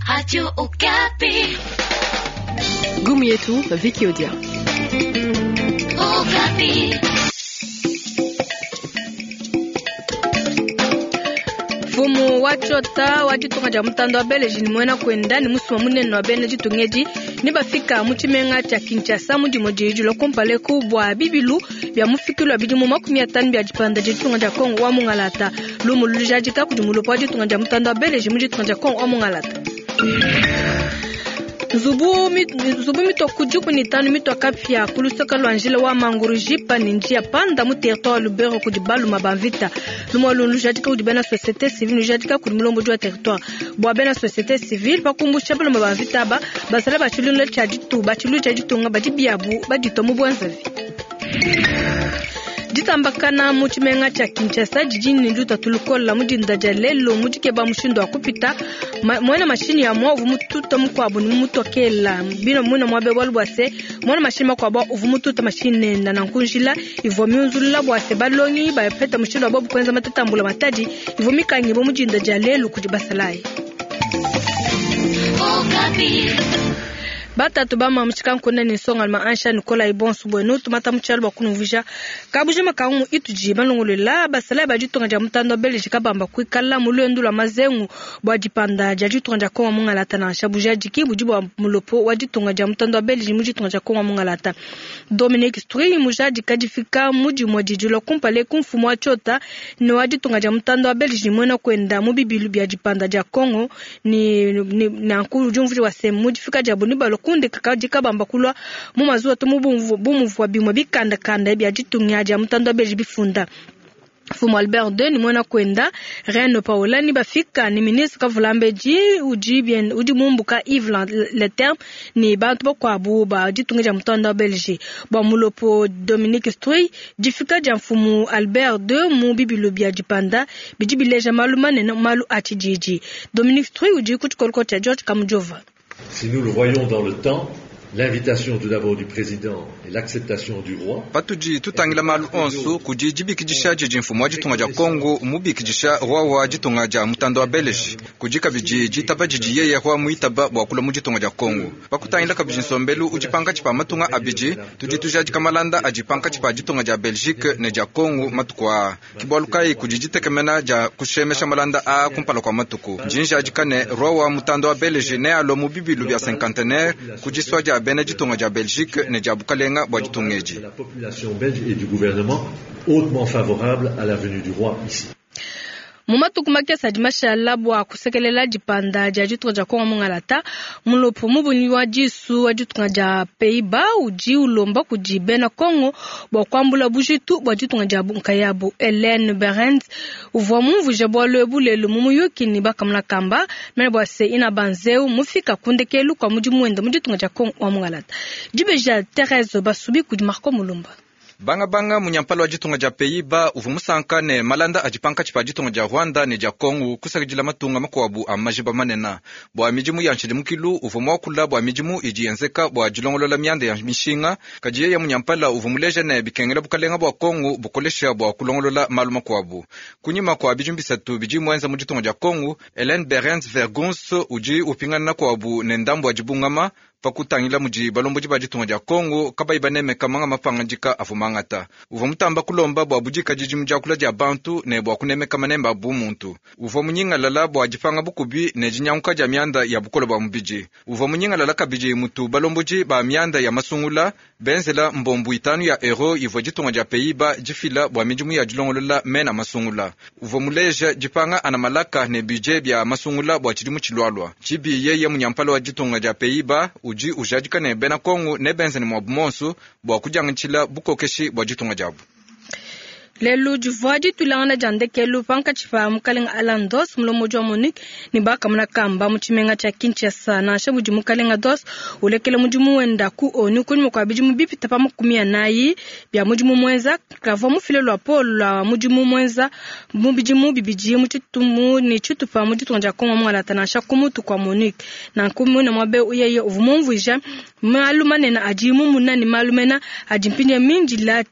Radio Okapi. Gumu yetu Vicky Odia. Okapi. Mfumu wa tshiota wa ditunga dia mutanda wa Belge ne muena kuenda ne musumba munene wa bena ditunga edi ne bafika mu tshimenga tshia Kinshasa mu dimue diyi dilua kumpala eku bua bibilu bia mufikilu wa bidimu 50 bia dipanda dia ditunga dia Congo wa mungalata. Lumu lujadika kudi mulopo wa ditunga dia mutanda wa Belge mu ditunga dia Congo wa mungalata. Nzubu mitua ku 15 mitua kapia ku luseke lua njila wa Mangurujipa ne njia panda mu territoire wa Lubero kudi baluma ba mvita. Lumu alu lujadika kudi bena société civile, lujadika kudi mulombodi wa territoire. Bua bena société civile pakumbusha baluma ba mvita aba basala ba tshilulu tshia ditu ba tshilulu tshia ditunga badi biabu baditua mu buenzavi. Ditambakana mu tshimenga tshia Kinshasa didi ne lutatu lukola mu dinda dia lelo mu dikeba mushindu wa kupita muena mashinyi ya mua uvua mututa mukuabu ne mutokela bino muena muabe bualu bua se muena mashinyi makuabu uvua mututa mashinyi nenda nanku njila ivua miunzulula bua se balongi bapeta mushindu wa bobu kuenza matetambula matadi ivua mikangibua mu dinda dia lelu kudi basalayi. Batatu ba mamu tshikankuna ne nsongaluma ansha Nikolai bonso buenu tumata mu tshialu bua kunumvuija kabujima kangu itudi balongolola basalayi ba ditunga dia mutanda wa Belgique kabamba kuikala mu luendu lua mazengu bua dipanda dia ditunga dia Kongo mungalata nansha bujadiki budi bua mulopo wa ditunga dia mutanda wa Belgique mu ditunga dia Kongo mungalata. Dominique Strui mujadika difika mu dimue didilua kumpala ku mfumu wa tshiota ne wa ditunga dia mutanda wa Belgique muena kuenda mu bibilu bia dipanda dia Kongo ni nanku udi umvuija wa se mu difika diabu ne balua kunde kakadi kabamba kulua mu mazuwa to mu bumuvua bimue bikandakanda bia ditunga dia mutanda wa Belgique bifunda. Mfumu Albert II ni muena kuenda Reine Paola ni bafika ni ministre Kavulambedi udi bien udi mumbuka Yves Leterme ni bantu bakuabu ba ditunga dia mutanda wa Belgique. Bua mulopo Dominique Strui difika dia mfumu Albert II mu bibilu bia dipanda bidi bileja malu manene malu a tshididi. Dominique Strui udi ku tshikoloko tshia George Kamujova. Si nous le voyons dans le temps, l'invitation tout d'abord du président et l'acceptation du roi. Patudi tutangila malu onso kudi dibikidisha didi mfumu wa ditunga dia Kongo mubikidisha roi wa ditunga dia mutanda wa Belgique kudi kabidi ditaba didi yeye roi muitaba bua kulua mu ditunga dia Kongo. Pakutangila kabidi nsombelu udi pankatshi pa matunga abidi tudi tujadika malanda adi pankatshi pa ditunga dia Belgique ne dia Kongo matuku aa. Ke bualu kayi kudi ditekemena dia kushemesha malanda aa kumpala kua matuku. Ndi njadika ne roi wa mutanda wa Belgique nealue mu bibilu bia cinquantenaire ku disua dia bena ditunga dia Belgique ne dia bukalenga bua ditunga edi. La population belge et du gouvernement hautement favorable à la venue du roi ici. Mu matuku makese adi mashala bua kusekelela dipanda dia ditunga dia Kongo mungalata, mulopo mubunyi wa disu wa ditunga dia Pays-Bas udi ulomba kudi bena Kongo bua kuambula bujitu bua ditunga dia nkayabu. Hélène Berends uvua mumvuija bualu ebu lelu mu muyuki ne bakamuna kamba mene bua se ina banzeu mufika ku ndekelu kua mudimu wenda mu ditunga dia Kongo wa mungalata. Dibeja Therese Basubi kudi Marco Mulumba. Banga banga munyampala wa ditunga dia Pays-Bas uvua musanka ne malanda adi pankatshi pa ditunga dia Rwanda ne dia Kongo kusakidila matunga makuabu a majiba manene bua midimu ya nshidimukilu uvua muakula bua midimu idi yenzeka bua dilongolola mianda ya mishinga kadi yeye munyampala uvua muleja ne bikengela bukalenga bua Kongo bukolesha bua kulongolola malu makuabu. Kunyima kua bidimu bisatu bidi muenza mu ditunga dia Kongo, Hélène Berends Vergunst udi upingana kuabu ne ndambu wa dibungama pakutangila mudi balombodi ba ditunga dia Kongo kabayi banemeka manga mapangadika avua mangata. Uvua mutamba kulomba bua budikadidi mu diakula dia bantu ne bua kunemeka manemba a bumuntu. Uvua munyingalala bua dipanga bukubi ne dinyanguka dia mianda ya bukole bua mubidi. Uvua munyingalala kabidi mutu balombodi ba mianda ya masungula benzela mbombu itanu ya euro ivua ditunga dia Pays-Bas difila bua midimu ya dilongolola mena masungula. Uvua muleja dipanga ana malaka ne budget bia masungula bua tshidimu tshilualua. Tshibi yeye munyampala wa ditunga dia Pays-Bas udi ujadika ne bena Kongo ne benza ne muabu monso bua kudiangatshila bukokeshi bua ditunga diabu. Lelu divua ditulangana dia ndekelu pankatshi pa mukalenga Alain Dos mulombodi wa MONUC ne bakamuna kamba mu tshimenga tshia Kinshasa. Nansha mudi mukalenga Dos ulekela mudimu wenda ku ONU kunyima kua bidimu bipita pa 40 bia mudimu muenza, kavua mufile luapolo lua mudimu muenza mu bidimu bibidi mu tshitumu ne tshitupa mu ditunga dia Kongo mungalata nansha ku mutu kua MONUC. Nanku muina muabe yeye uvua mumvuija malu manene adi mumuna ne malu mena adi mpindieu mindila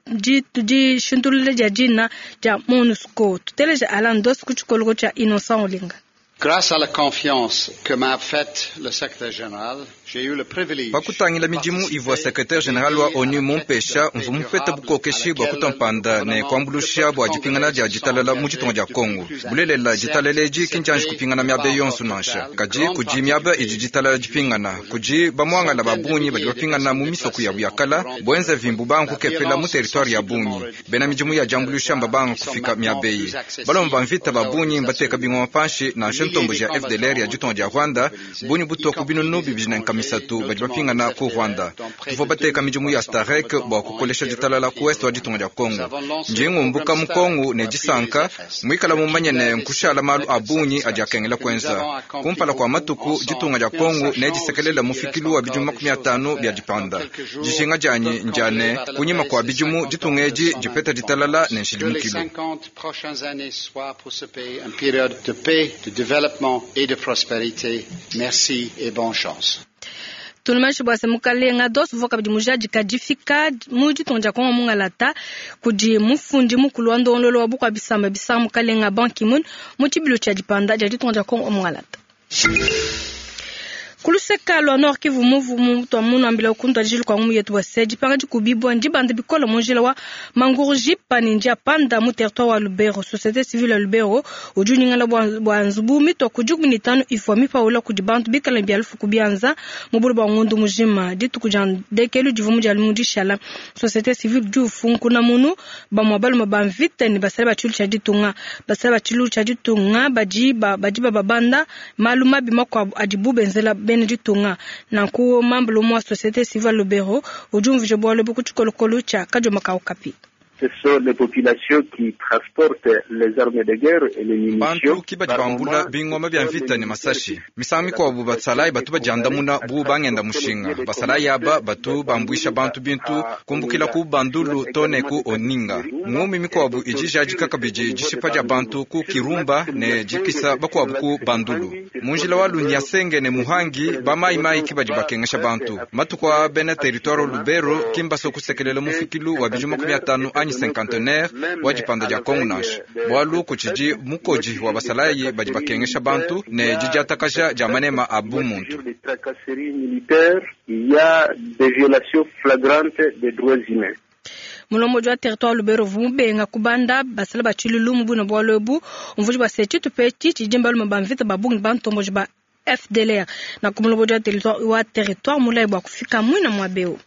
dishintulula dia dina dia MONUSCO. Tuteleja Alain Dos ku tshikoloko tshia Innocent Olinga. Grâce à la confiance que m'a faite le secrétaire général, j'ai eu le privilège Pa kutangila midimu ivua secrétaire général wa ONU mumpesha, mvua mupete bukokeshi bua kutua mpanda ne kuambuluisha bua dipingana dia ditalala mu ditunga dia Kongo. Bulelela, ditalala edi ki ndianji kupingana miaba yonso nansha, kadi kudi miaba idi ditalala dipingana. Kudi bamuangala ba bungi badi bapingana mu misoko yabu ya kala, buenza vimbu banga kukepela mu territoire ya bungi. Bena midimu ya diambuluisha mbabanga kufika miaba eyi. Balomba ba mvita ba bungi mbateka bingoma panshi, nansha ntomboji ya FDLR ya ditunga dia Rwanda bungi butua ku binunu 203 badi bapingana ku Rwanda. Tuvua bateka midimu ya STAREC bua kukolesha ditalala ku est wa ditunga dia Kongo. Ndi ngumbuka mu Kongo ne disanka, muikala mumanye ne nkushala malu a bungi adi akengela kuenza. Kumpala kua matuku, ditunga dia Kongo nedisekelela mufikilu wa bidimu 50 bia dipanda. Dijinga dianyi ndia ne kunyima kua bidimu ditunga edi dipeta ditalala ne nshidimukilu. Que les 50 prochaines années soient pour ce pays une période de paix, de développement et de prospérité. Merci et bonne chance. Tunumanyishi bua se mukalenga Dos uvua kabidi mujadika difika mu ditunga dia Kongo mungalata kudi mufundi mukulu wa ndongoluelu wa bukua bisamba bisanga mukalenga Ban Ki-moon mu tshibilu tshia dipanda dia ditunga dia Kongo mungalata. Ku luseka lua Nord Kivu muvu mutua munuambila ku ntuadijilu kua ngumu yetu bua se dipanga dikubibua ndibanda bikole mu njila wa Mangurujipa ne Ndiapanda mu territoire wa Lubero. Société civile ya Lubero udi unyingala bua nzubu mitua ku 15 ivua mipaula kudi bantu bikale ne bia lufu ku bianza mu bule bua ngondu mujima. Dituku dia ndekelu divua mu dia lumingu dishala. Société civile udi ufunkuna munu bamue balume ba mvita ne basala ba tshilu tshia ditunga. Basala ba tshilu tshia ditunga badi badi bababanda malu mabi makuabu adibu benzela bena ditunga. Nanku membre umue wa société civile Lubero udi umvuija bualu ebu ku tshikolokolo tshia Kadioma Kaukapi. Ce sont les populations qui transportent les armes de guerre et les munitions. Bantu ki badi bambula bingoma bia mvita ne masashi. Misangu mikuabu basalayi batu badiandamuna bu bangenda mushinga. Basalayi aba batu bambuisha bantu bintu kumbukila ku Bandulu to ne ku Oninga. Ngumi mikuabu idi ijadika kabidi dishipa dia bantu ku Kirumba ne dikisa bakuabu ku Bandulu. Mu njila wa Lunyasenge ne Muhangi ba mai mai ki badi bakengesha bantu. Matuku a bena territoire Lubero ki mbaso kusekelela mufikilu wa bidimu 50 anyi cinquantenaire wa dipanda dia Kongo nansha. Bualu kutshidi mukodi wa basalayi badi bakengesha bantu ne didiatakaja dia manema a bumuntu. Des tracasseries militaires, il y a des violations flagrantes des droits humains. Mulombodi wa territoire Lubero uvua mubenga kubanda basala ba tshilulu mu bune bualu ebu umvuija bua se tshitupa etshi tshidi balume ba mvita ba bungi bantomboji ba FDLR. Nanku mulombodi wa territoire mulayi bua kufika muina muaba eu.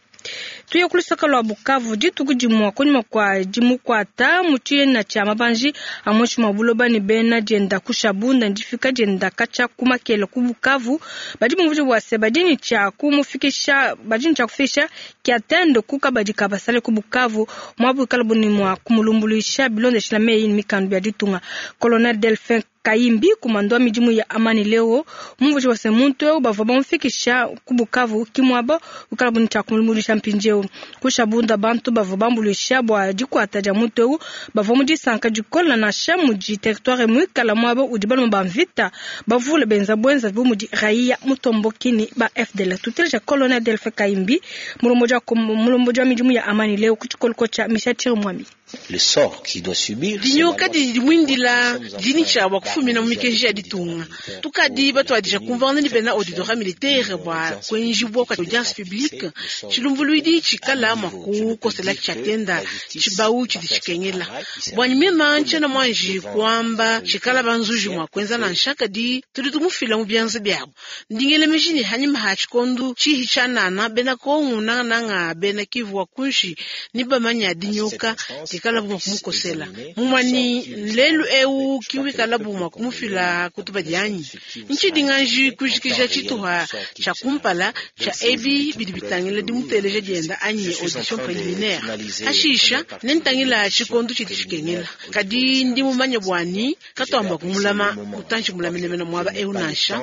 Tuye ku lusaka lua Bukavu dituku dimue kunyima kua dimukuata mu tshiena tshia mabanji a muinshi mua buloba ne bena dienda ku Shabunda ndifika dienda katshia ku Makele ku Bukavu. Badi bumvuija bua se badi ne tshia kumufikisha, badi ne tshia kufikisha Kiatende ku kabadi ka basale ku Bukavu muabu ikala bu ne mua kumulumbuluisha bilondeshila meyi ne mikandu bia ditunga. Colonel Delphin Kayimbi kumando wa midimu ya Amani Leo mumvuija bua se muntu eu bavua bamufikisha ku Bukavu ki muaba wikala bu ne tshia kumulumbuluisha mpindieu. Ku Shabunda bantu bavua bambuluisha bua dikuata dia muntu eu bavua mu disanka dikole nansha mudi territoire muikala muaba udi balume ba mvita bavule benza buenza bu mudi Raia Mutomboki ne ba FDL. Tuteleja Colonel Delphin Kayimbi mulombodi wa midimu ya Amani Leo ku tshikoloko tshia Michel Chirimwami. Le sort qu'il doit subir. Dinyoka didi dimuindila dini tshia bua kufumina mu mikenji ya ditunga. Tukadi batuadija kumvangana ne bena auditorat militaire bua kuenjibua kua audience publique tshilumbuluidi tshikala mua kukosela tshiatenda tshibau tshidi tshikengela. Bua mema ntshiena muanji kuamba tshikala banzuji mua kuenza nansha kadi tudi tumufila mu bianza biabu. Ndingele meji ne hanyima ha tshikondu tshihi tshianana bena Kongo nangananga bena Kivu wa kunshi ni bamanya dinyoka dikala bu mua kumukosela. Mumani lelu eu kiwikala bu mua kumufila kutuba dianyi. Ntshidi nganji kujikija tshituha tshia kumpala tshia ebi bidi bitangila dimuteleja dienda anyi audition préliminaire. Hashisha nentangila tshikondu tshidi tshikengela. Kadi ndi mumanye buani katuamba kumulama mutantshi mulamenemena muaba eu nansha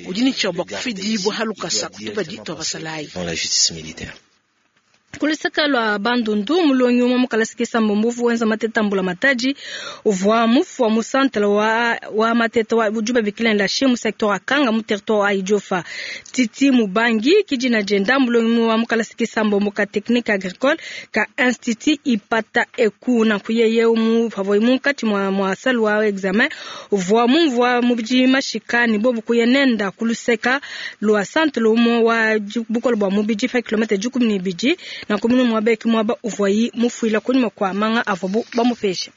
udi ne tshia bua kufidibua halukasa kutuba ditua basalayi. Dans la justice militaire. Ku luseke lua Bandundu, mulongi umue mu kalasa kisambombo uvua wenza mateta mbula matadi uvua mufua mu centre wa, wa mateta wa udi babikila ne mu secteur wa Kanga mu territoire wa Idiofa. Titi Mubangi kidina dienda, mulongi wa mu kalasa kisambombo ka technique agricole ka institut Ipata Eku. Nanku yeye mu pavua munkatshi mua, mua salle wa examen uvua mumvua mubidi mashika ne bobu kuya nenda ku luseka lua centre umue wa bukole bua mubidi pa kilomètre 12 na kumunu muaba muaba uvuayi mufuila kunyima kua manga avuabu bamupesha.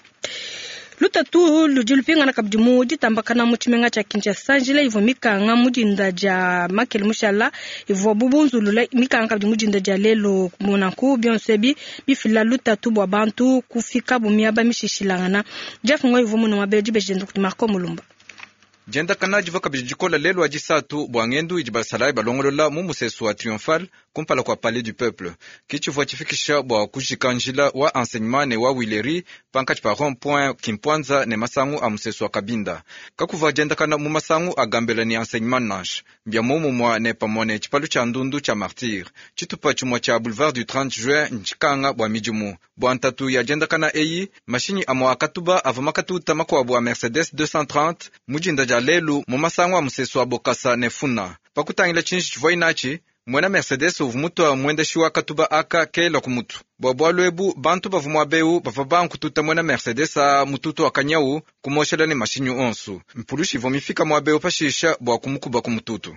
Lutatu ludi lupingana kabidi mu ditambakana mu tshimenga tshia Kinshasa. Njila ivua mikanga mu dinda dia makele mushala ivua bubunzulula mikanga kabidi mu dinda dia lelu. Nanku bionso ebi bifila lutatu bua bantu kufikabu miaba mishishilangana. Jeff Ngoyi uvua muna muaba dibeji kudi Marco Mulumba. Diendakana divua kabidi dikola lelu wa disatu bua ngendu idi basalayi balongolola mu musesu wa Triomphal kumpala kua Palais du Peuple. Ke tshivua tshifikisha bua kujika njila wa Enseignement ne wa Huileries pankatshi pa rond point Kimpwanza ne masangu a musesu wa Kabinda. Kakuvua diendakana mu masangu a Gambela ne Enseignement nansha. Mbia muomumue ne pamue ne tshipalu tshia ndundu tshia Martyr. Tshitupa tshimue tshia boulevard du 30 juin ntshikanga bua midimu. Bua ntatu ya diendakana eyi, mashinyi amue akatuba avua makatuta makuabu a Mercedes 230 mu dinda dia lelu mu masangu a musesu wa Bokasa ne Funa. Pakutangila tshinji tshivua inatshi, muena Mercedes uvua mutua muendeshi wa katuba aka kela ku mutu. Bua bualu ebu, bantu bavua muaba eu bavua bankututa muena Mercedes a mututu wa kanyau kumoshela ne mashinyi onsu. Mpulushi ivua mifika muaba eu pashisha bua kumukuba ku mututu.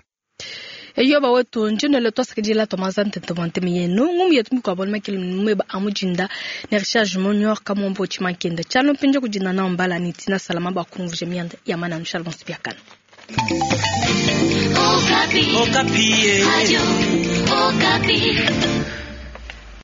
Eyoba wetu njinole twasakidila twamaza ntente bua nteme yenu ngumu yetu mikuabo makele mweba amujinda ne Richard Junior Kamombo Chimankenda chalo mpinje kujinda na mbala ni Tina Salama bakumvuje mianda ya mana shalom sipiakana. Okapi. Okapi. Radio Okapi.